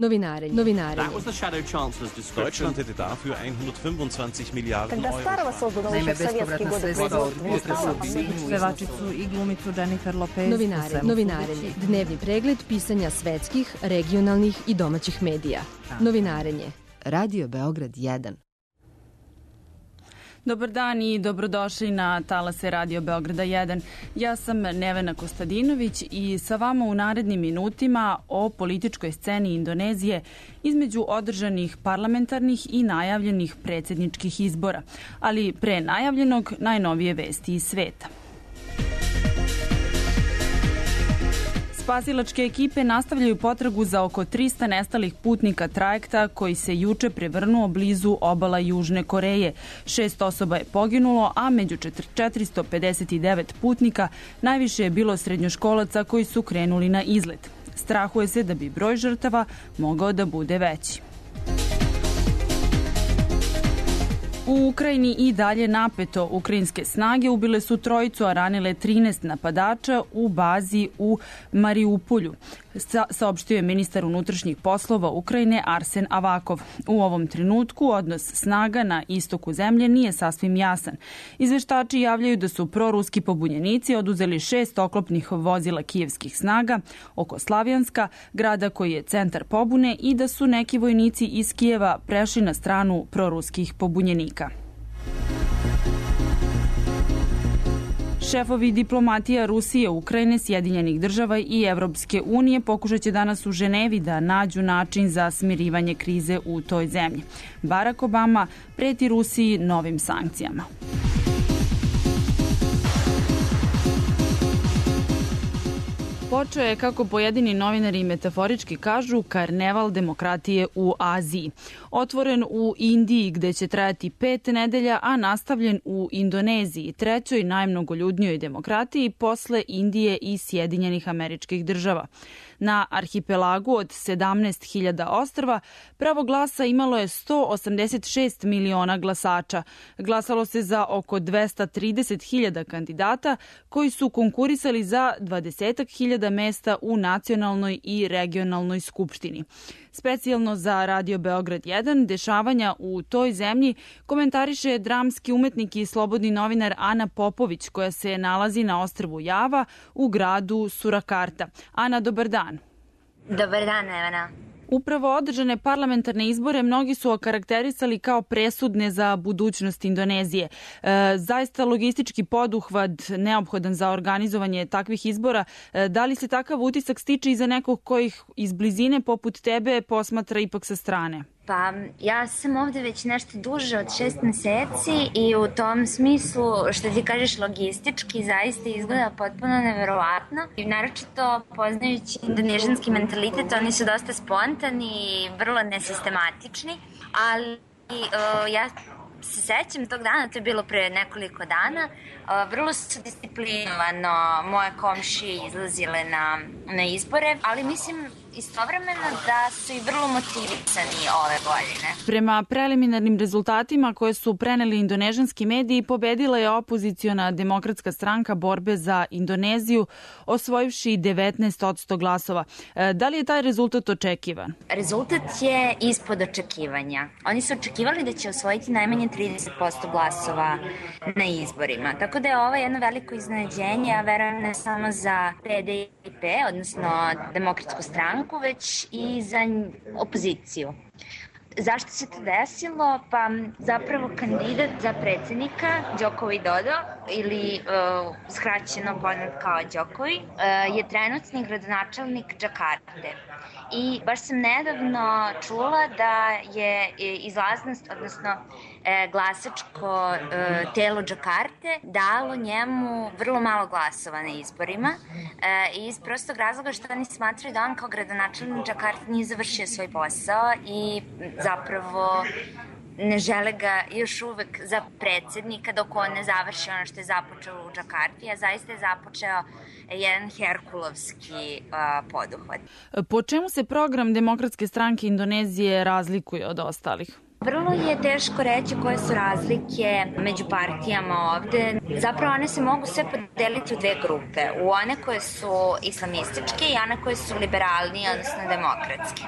Novinarenje. Deutschland hätte dafür 125 Milijarden Euro. Naime, bespovratna sredstva od pevačicu i glumicu Jennifer Lopez. Novinarenje. Dnevni pregled pisanja svetskih, regionalnih i domaćih medija. Novinarenje. Radio Beograd 1. Dobar dan i dobrodošli na talase Radio Beograda 1. Ja sam Nevena Kostadinović i sa vama u narednim minutima o političkoj sceni Indonezije između održanih parlamentarnih i najavljenih predsjedničkih izbora, ali pre najavljenog najnovije vesti iz sveta. Spasilačke ekipe nastavljaju potragu za oko 300 nestalih putnika trajekta koji se juče prevrnuo blizu obala Južne Koreje. 6 osoba je poginulo, a među 459 putnika najviše je bilo srednjoškolaca koji su krenuli na izlet. Strahuje se da bi broj žrtava mogao da bude veći. U Ukrajini i dalje napeto. Ukrajinske snage ubile su trojicu, a ranile 13 napadača u bazi u Mariupolju, saopštio je ministar unutrašnjih poslova Ukrajine Arsen Avakov. U ovom trenutku odnos snaga na istoku zemlje nije sasvim jasan. Izveštači javljaju da su proruski pobunjenici oduzeli 6 oklopnih vozila kijevskih snaga oko Slavjanska, grada koji je centar pobune, i da su neki vojnici iz Kijeva prešli na stranu proruskih pobunjenika. Šefovi diplomatija Rusije, Ukrajine, Sjedinjenih država i Evropske unije pokušat će danas u Ženevi da nađu način za smirivanje krize u toj zemlji. Barack Obama preti Rusiji novim sankcijama. Počeo je, kako pojedini novinari metaforički kažu, karneval demokratije u Aziji. Otvoren u Indiji, gde će trajati 5 nedelja, a nastavljen u Indoneziji, trećoj najmnogoljudnijoj demokratiji posle Indije i Sjedinjenih Američkih Država. Na arhipelagu od 17.000 ostrva pravo glasa imalo je 186 miliona glasača. Glasalo se za oko 230.000 kandidata koji su konkurisali za 20.000 mesta u nacionalnoj i regionalnoj skupštini. Specijalno za Radio Beograd 1 dešavanja u toj zemlji komentariše dramski umetnik i slobodni novinar Ana Popović, koja se nalazi na ostrvu Java u gradu Surakarta. Ana, dobar dan. Dobar dan, Nevena. Upravo održane parlamentarne izbore mnogi su okarakterisali kao presudne za budućnost Indonezije. Zaista logistički poduhvat neophodan za organizovanje takvih izbora. Da li se takav utisak stiče i za nekog kojih iz blizine poput tebe posmatra ipak sa strane? Pa ja sam ovde već nešto duže od 6 meseci i u tom smislu, što ti kažeš, logistički zaista izgleda potpuno neverovatno. I naročito poznajući indonežanski mentalitet, oni su dosta spontani i vrlo nesistematični, ali ja se sećam tog dana, to je bilo pre nekoliko dana, vrlo su disciplinovano moje komšije izlazile na izbore, ali mislim istovremeno da su i vrlo motivisani ove godine. Prema preliminarnim rezultatima koje su preneli indonežanski mediji, pobedila je opoziciona Demokratska stranka borbe za Indoneziju, osvojivši 19% glasova. Da li je taj rezultat očekivan? Rezultat je ispod očekivanja. Oni su očekivali da će osvojiti najmanje 30% glasova na izborima. Tako da je ovo jedno veliko iznenađenje, a verujem ne samo za PDIP, odnosno Demokratsku stranku, već i za opoziciju. Zašto se to desilo? Pa zapravo kandidat za predsjednika, Joko Widodo, ili skraćeno poznat kao Jokowi, je trenutni gradonačelnik Džakarte. I baš sam nedavno čula da je izlaznost, odnosno glasačko telo Džakarte dalo njemu vrlo malo glasova na izborima iz prostog razloga što oni smatraju da on kao gradonačelnik Džakarte nije završio svoj posao i zapravo ne žele ga još uvek za predsjednika dok on ne završi ono što je započeo u Džakarti, a zaista je započeo jedan herkulovski poduhvat. Po čemu se program Demokratske stranke Indonezije razlikuje od ostalih? Vrlo je teško reći koje su razlike među partijama ovde. Zapravo one se mogu sve podeliti u dve grupe. U one koje su islamističke i one koje su liberalnije, odnosno demokratske.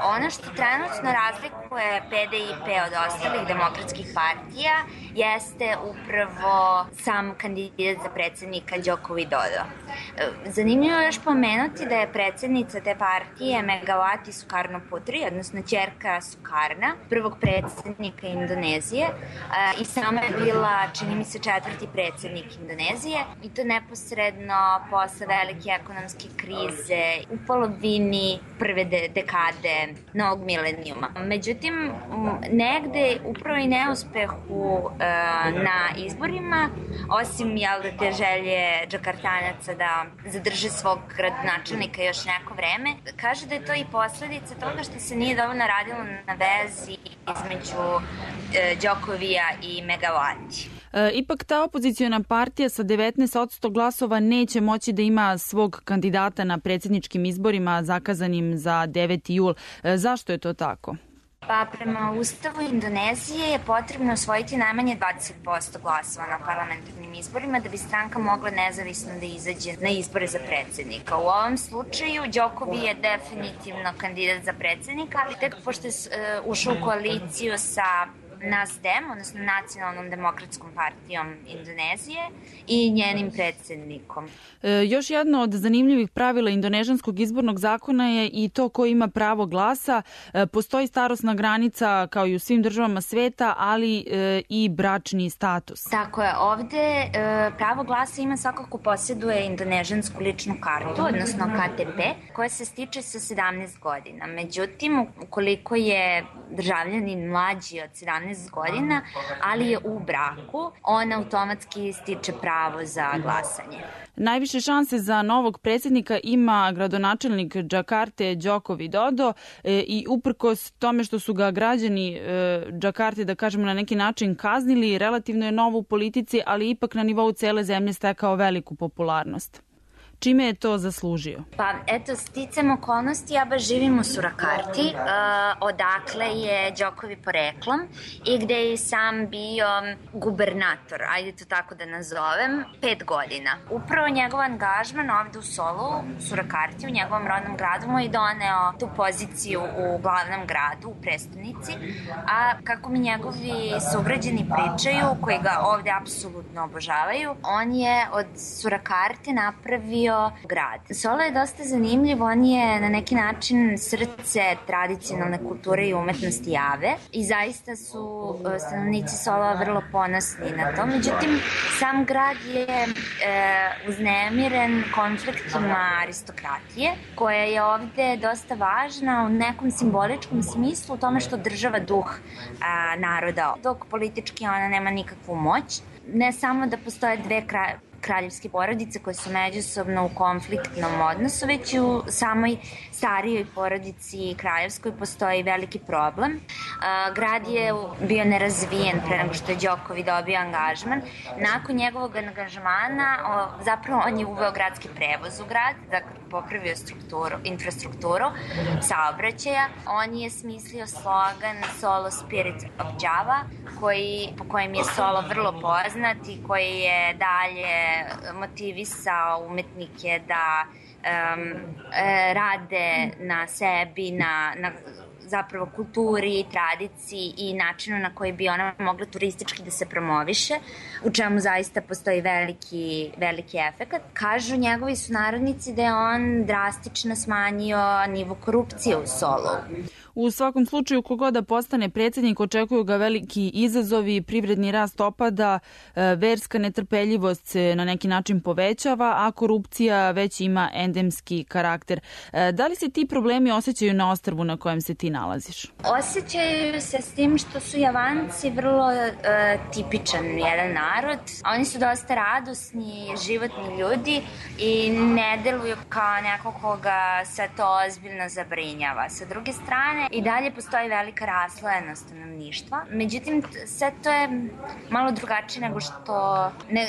Ono što trenutno razlikuje PDIP od ostalih demokratskih partija jeste upravo sam kandidat za predsednika Joko Widodo. Zanimljivo je još pomenuti da je predsednica te partije Megawati Sukarno Putri, odnosno ćerka Sukarna, prvog predsednika Indonezije, i sama je bila, čini mi se, 4. predsednik Indonezije, i to neposredno posle velike ekonomske krize u polovini prve dekade novog milenijuma. Međutim, negde upravo i neuspehu na izborima, osim te želje Džakartanaca da zadrže svog gradonačelnika još neko vreme, kaže da je to i posledica toga što se nije dovoljno radilo na vezi između Đokovija i Megawati. Ipak ta opoziciona partija sa 19% glasova neće moći da ima svog kandidata na predsjedničkim izborima zakazanim za 9. jul. Zašto je to tako? Pa prema Ustavu Indonezije je potrebno osvojiti najmanje 20% glasova na parlamentarnim izborima da bi stranka mogla nezavisno da izađe na izbore za predsjednika. U ovom slučaju Đokovi je definitivno kandidat za predsjednika, tek pošto je ušao u koaliciju sa NASDEM, odnosno Nacionalnom demokratskom partijom Indonezije i njenim predsjednikom. Još jedno od zanimljivih pravila indonežanskog izbornog zakona je i to ko ima pravo glasa. Postoji starosna granica kao i u svim državama sveta, ali i bračni status. Tako je, ovde pravo glasa ima svako ko posjeduje indonežansku ličnu kartu, odnosno KTP, koja se stiče sa 17 godina. Međutim, ukoliko je državljanin mlađi od 17 godina, ali je u braku, on automatski stiče pravo za glasanje. Najviše šanse za novog predsjednika ima gradonačelnik Džakarte Joko Widodo i uprkos tome što su ga građani Džakarte, da kažemo, na neki način kaznili, relativno je novo u politici, ali ipak na nivou cele zemlje stekao veliku popularnost. Čime je to zaslužio? Pa eto, sticam okolnosti, ja baš živim u Surakarti, odakle je Đokovi poreklom i gde je sam bio gubernator, ajde to tako da nazovem, 5 godina. Upravo njegov angažman ovde u Solu, Surakarti, u njegovom rodnom gradu, mu je doneo tu poziciju u glavnom gradu, u prestonici, a kako mi njegovi sugrađani pričaju, koji ga ovde apsolutno obožavaju, on je od Surakarti napravio grad. Solo je dosta zanimljiv, on je na neki način srce tradicionalne kulture i umetnosti Jave i zaista su stanovnici Solova vrlo ponosni na to. Međutim, sam grad je uznemiren konfliktima aristokratije, koja je ovde dosta važna u nekom simboličkom smislu, u tome što država duh naroda, dok politički ona nema nikakvu moć. Ne samo da postoje dve kraljevske porodice koje su međusobno u konfliktnom odnosu, već i u samoj starijoj porodici kraljevskoj postoji veliki problem. Grad je bio nerazvijen pre nego što je Đokovi dobio angažman. Nakon njegovog angažmana, zapravo on je uveo gradski prevoz u grad, dakle popravio infrastrukturu saobraćaja. On je smislio slogan Solo Spirit of Java, po kojem je Solo vrlo poznat i koji je dalje motivisao umetnike da rade na sebi, na zapravo kulturi, tradiciji i načinu na koji bi ona mogla turistički da se promoviše, u čemu zaista postoji veliki efekat. Kažu njegovi sunarodnici da je on drastično smanjio nivo korupcije u Solu. U svakom slučaju, kogoda postane predsjednik, očekuju ga veliki izazovi, privredni rast opada, verska netrpeljivost se na neki način povećava, a korupcija već ima endemski karakter. Da li se ti problemi osjećaju na ostrvu na kojem se ti nalaziš? Osjećaju se s tim što su Javanci vrlo tipičan jedan narod. Oni su dosta radosni, životni ljudi i ne deluju kao neko koga se to ozbiljno zabrinjava. Sa druge strane, i dalje postoji velika raslojenost stanovništva. Međutim, sve to je malo drugačije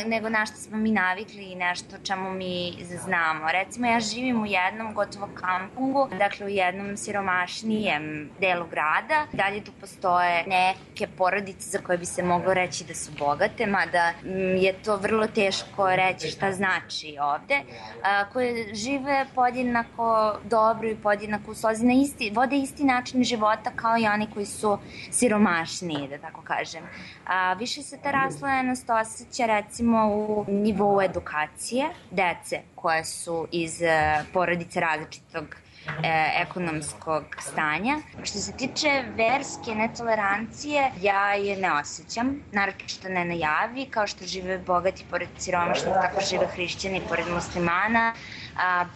nego na što smo mi navikli i nešto čemu mi znamo. Recimo, ja živim u jednom gotovo kampungu, dakle u jednom siromašnijem delu grada. Dalje tu postoje neke porodice za koje bi se moglo reći da su bogate, mada je to vrlo teško reći šta znači ovde, koje žive podjednako dobro i podjednako u slozi, vode isti način života kao i oni koji su siromašniji, da tako kažem. Više se ta raslojenost osjeća recimo u nivou edukacije dece koje su iz porodice različitog ekonomskog stanja. Što se tiče verske netolerancije, ja je ne osjećam, naročito ne na javi, kao što žive bogati pored siromašnih, tako žive hrišćani pored muslimana,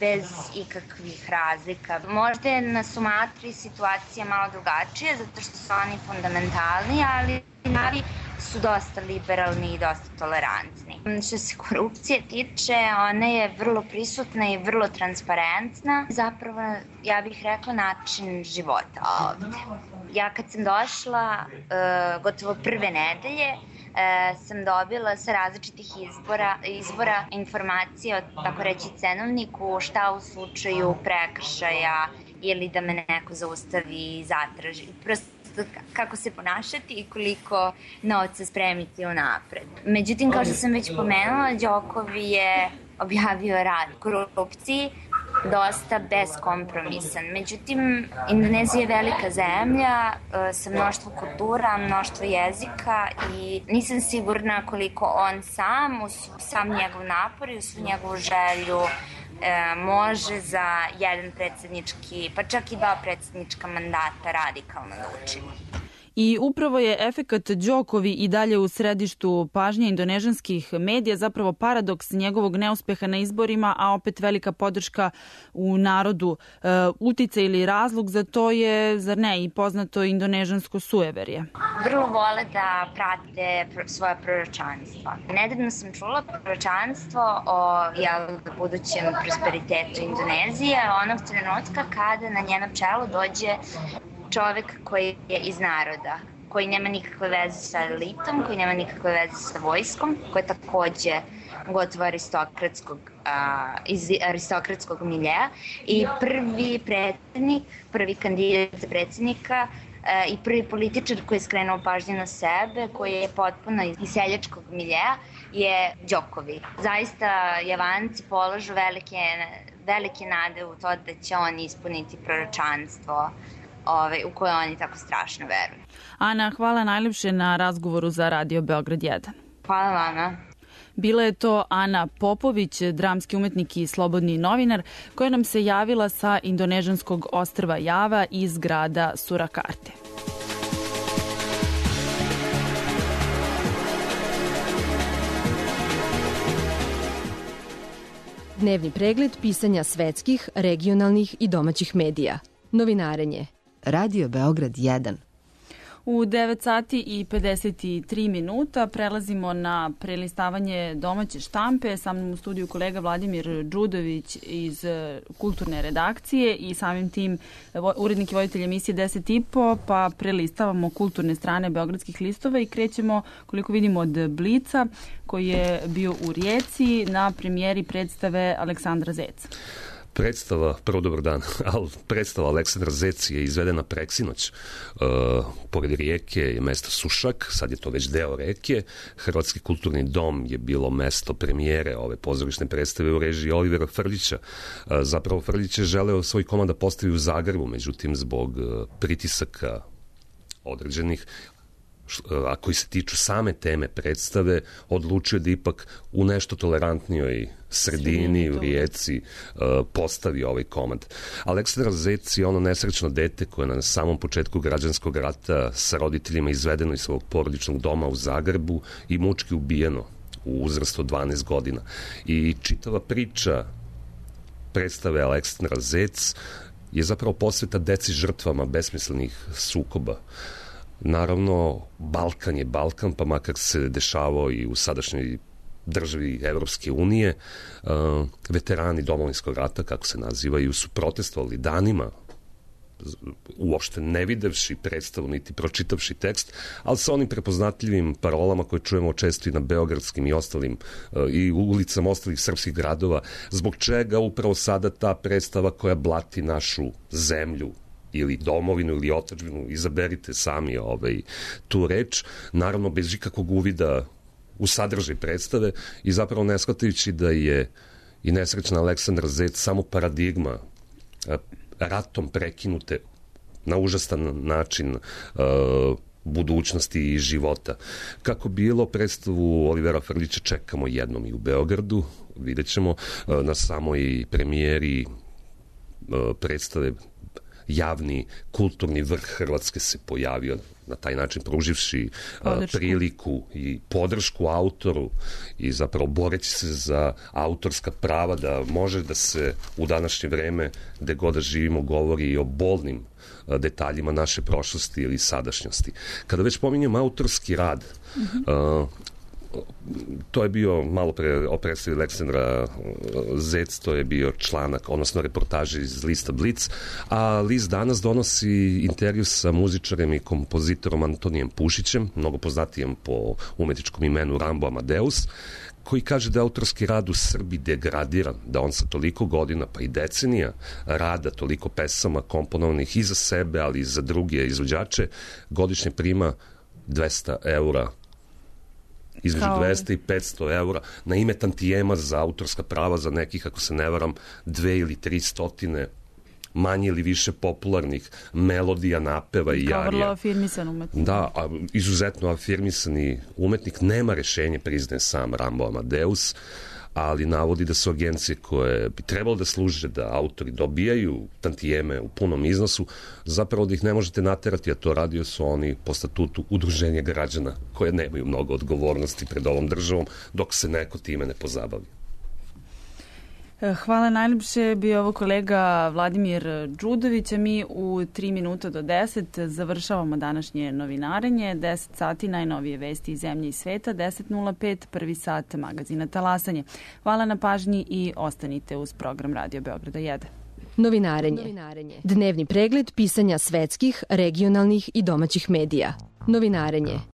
bez ikakvih razlika. Možda je na Sumatri situacija malo drugačija, zato što su oni fundamentalni, ali navi su dosta liberalni i dosta tolerantni. Što se korupcije tiče, ona je vrlo prisutna i vrlo transparentna. Zapravo, ja bih rekla, način života ovde. Ja kad sam došla, gotovo prve nedelje, sam dobila sa različitih izbora informacije o, tako reći, cenovniku, šta u slučaju prekršaja ili da me neko zaustavi i zatraži. Prosto kako se ponašati i koliko novca spremiti unapred. Međutim, kao što sam već pomenula, Đokovi je objavio rat korupciji dosta beskompromisan. Međutim, Indonezija je velika zemlja sa mnoštvo kultura, mnoštvo jezika i nisam sigurna koliko on sam njegov napor i svu njegovu želju može za jedan predsjednički, pa čak i dva predsjednička mandata radikalno da učini. I upravo je efekat Đokovi i dalje u središtu pažnje indonežanskih medija, zapravo paradoks njegovog neuspeha na izborima, a opet velika podrška u narodu. Uticaj ili razlog za to je, zar ne, i poznato indonežansko sujeverje. Vrlo vole da prate svoja proročanstva. Nedavno sam čula proročanstvo o budućem prosperitetu Indonezije, onog trenutka kada na njeno čelo dođe čovek koji je iz naroda, koji nema nikakve veze sa elitom, koji nema nikakve veze sa vojskom, koji je takođe gotovo iz aristokratskog miljeja i prvi predsjednik, prvi kandidat za predsjednika i prvi političar koji je skrenuo pažnju na sebe, koji je potpuno iz seljačkog miljeja, je Đokovi. Zaista Javanci polažu velike nade u to da će on ispuniti proročanstvo u koje oni tako strašno veruju. Ana, hvala najljepše na razgovoru za Radio Beograd 1. Hvala vama. Bila je to Ana Popović, dramski umetnik i slobodni novinar, koja nam se javila sa indonežanskog ostrva Java iz grada Surakarte. Dnevni pregled pisanja svetskih, regionalnih i domaćih medija. Novinarenje. Radio Beograd 1. U 9 sati i 53 minuta prelazimo na prelistavanje domaće štampe. Sa mnom u studiju kolega Vladimir Đudović iz kulturne redakcije i samim tim urednik i voditelj emisije 10,5, pa prelistavamo kulturne strane beogradskih listova i krećemo, koliko vidimo, od Blica, koji je bio u Rijeci na premijeri predstave Aleksandra Zeca. Prvo dobar dan, ali predstava Aleksandra Zec je izvedena preksinoć. Pored rijeke je mesto Sušak, sad je to već deo reke. Hrvatski kulturni dom je bilo mesto premijere ove pozorišne predstave u režiji Olivera Frljića. Zapravo Frljić je želeo svoj komad da postavi u Zagrebu, međutim zbog pritisaka određenih, a koji se tiču same teme predstave, odlučio da ipak u nešto tolerantnijoj sredini u Rijeci postavi ovaj komad. Aleksandar Zec je ono nesrećno dete koje je na samom početku građanskog rata sa roditeljima izvedeno iz svog porodičnog doma u Zagrebu i mučki ubijeno u uzrastu od 12 godina. I čitava priča predstave Aleksandar Zec je zapravo posveta deci žrtvama besmislenih sukoba. Naravno, Balkan je Balkan, pa makar se dešavao i u sadašnjoj državi Evropske unije, veterani Domovinskog rata, kako se nazivaju, su protestovali danima uopšte ne videvši predstavu niti pročitavši tekst, ali sa onim prepoznatljivim parolama koje čujemo često i na beogradskim i ostalim i ulicama ostalih srpskih gradova, zbog čega upravo sada ta predstava koja blati našu zemlju ili domovinu ili otadžbinu, izaberite sami tu reč, naravno bez ikakvog uvida u sadržaj predstave i zapravo ne shvatajući da je i nesrećna Aleksandra Zec samo paradigma ratom prekinute na užastan način budućnosti i života. Kako bilo, predstavu Olivera Frljića čekamo jednom i u Beogradu, vidjet ćemo na samoj premijeri predstave javni kulturni vrh Hrvatske se pojavio na taj način pruživši priliku i podršku autoru i zapravo boreći se za autorska prava da može da se u današnje vreme gde god da živimo govori i o bolnim detaljima naše prošlosti ili sadašnjosti. Kada već pominjem autorski rad, to je bio malo pre o predstavi Aleksandra Zec, to je bio članak, odnosno reportaže iz lista Blic, a list danas donosi intervju sa muzičarem i kompozitorom Antonijem Pušićem, mnogo poznatijem po umetničkom imenu Rambo Amadeus, koji kaže da je autorski rad u Srbiji degradiran, da on sa toliko godina, pa i decenija rada, toliko pesama komponovanih i za sebe, ali i za druge izvođače, godišnje prima 200 eura, između 200 i 500 eura na ime tantijema za autorska prava za nekih, ako se ne varam, 2 ili 300 manje ili više popularnih melodija, napeva i jarija. Kao vrlo afirmisan umetnik. Da, a izuzetno afirmisani umetnik, nema rešenje, priznaje sam Rambo Amadeus, ali navodi da su agencije koje bi trebalo da služe da autori dobijaju tantijeme u punom iznosu, zapravo da ih ne možete naterati, a to radio su oni po statutu udruženja građana koje nemaju mnogo odgovornosti pred ovom državom dok se neko time ne pozabavi. Hvala najljepše, bio ovo kolega Vladimir Đudović, a mi u 3 minuta do 10 završavamo današnje novinarenje, 10 sati najnovije vesti iz zemlje i sveta, 10.05 prvi sat magazina Talasanje. Hvala na pažnji i ostanite uz program Radio Beograda 1. Novinarenje. Dnevni pregled pisanja svetskih, regionalnih i domaćih medija. Novinarenje.